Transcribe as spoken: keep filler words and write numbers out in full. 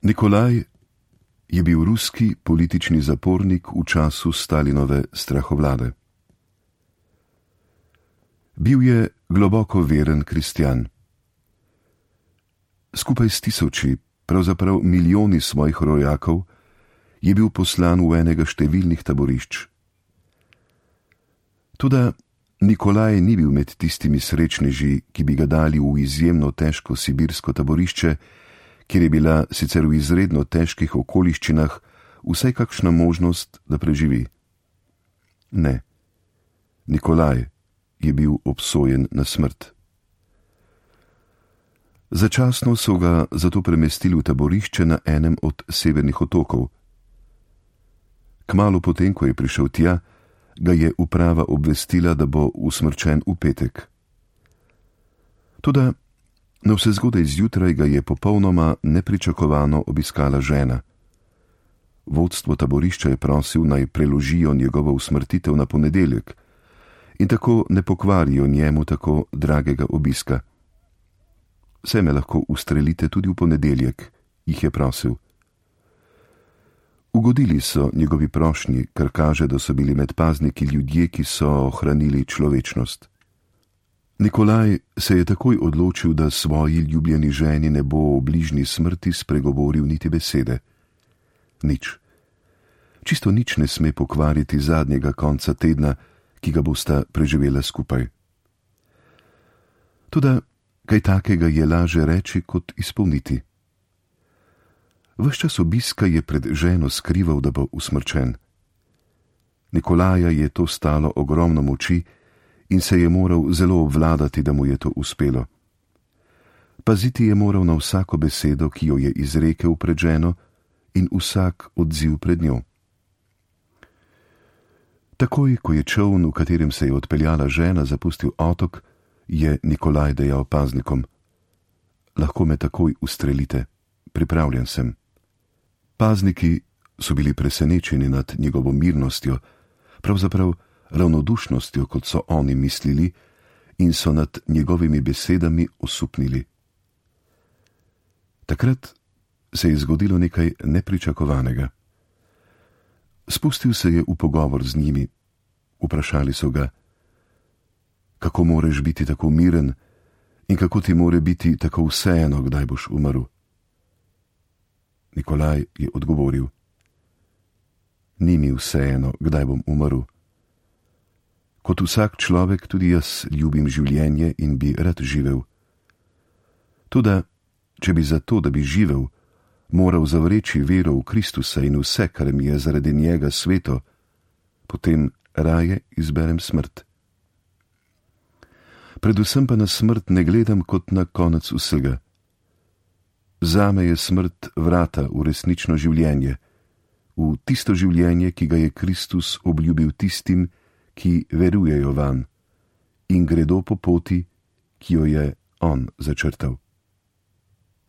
Nikolaj je bil ruski politični zapornik v času Stalinove strahovlade. Bil je globoko veren kristjan. Skupaj s tisoči, pravzaprav milijoni svojih rojakov, je bil poslan v enega številnih taborišč. Toda Nikolaj ni bil med tistimi srečneži, ki bi ga dali v izjemno težko sibirsko taborišče, kjer je bila sicer v izredno težkih okoliščinah vsaj kakšna možnost, da preživi. Ne, Nikolaj je bil obsojen na smrt. Začasno so ga zato premestili v taborišče na enem od severnih otokov. Kmalu potem, ko je prišel tja, ga je uprava obvestila, da bo usmrčen v petek. Toda navsezgodaj zjutraj ga je popolnoma nepričakovano obiskala žena. Vodstvo taborišča je prosil, naj preložijo njegovo usmrtitev na ponedeljek in tako ne pokvarijo njemu tako dragega obiska. Vse me lahko ustrelite tudi v ponedeljek, jih je prosil. Ugodili so njegovi prošnji, kar kaže, da so bili med pazniki ljudje, ki so ohranili človečnost. Nikolaj se je takoj odločil, da svoji ljubljeni ženi ne bo o bližnji smrti spregovoril niti besede. Nič. Čisto nič ne sme pokvariti zadnjega konca tedna, ki ga bosta preživela skupaj. Toda kaj takega je laže reči, kot izpolniti. Ves čas obiska je pred ženo skrival, da bo usmrčen. Nikolaja je to stalo ogromno moči in se je moral zelo obvladati, da mu je to uspelo. Paziti je moral na vsako besedo, ki jo je izrekel pred ženo, in vsak odziv pred njo. Takoj, ko je čoln, v katerem se je odpeljala žena, zapustil otok, je Nikolaj dejal paznikom: lahko me takoj ustrelite, pripravljen sem. Pazniki so bili presenečeni nad njegovo mirnostjo, pravzaprav ravnodušnostjo, kot so oni mislili, in so nad njegovimi besedami osupnili. Takrat se je zgodilo nekaj nepričakovanega. Spustil se je v pogovor z njimi. Vprašali so ga: kako moreš biti tako miren in kako ti more biti tako vseeno, kdaj boš umrl? Nikolaj je odgovoril: ni mi vseeno, kdaj bom umrl. Kot vsak človek tudi jaz ljubim življenje in bi rad živel. Toda, če bi zato, da bi živel, moral zavreči vero v Kristusa in vse, kar mi je zaradi njega sveto, potem raje izberem smrt. Predvsem pa na smrt ne gledam kot na konec vsega. Zame je smrt vrata v resnično življenje, v tisto življenje, ki ga je Kristus obljubil tistim, ki verujejo vanj in gredo po poti, ki jo je on začrtal.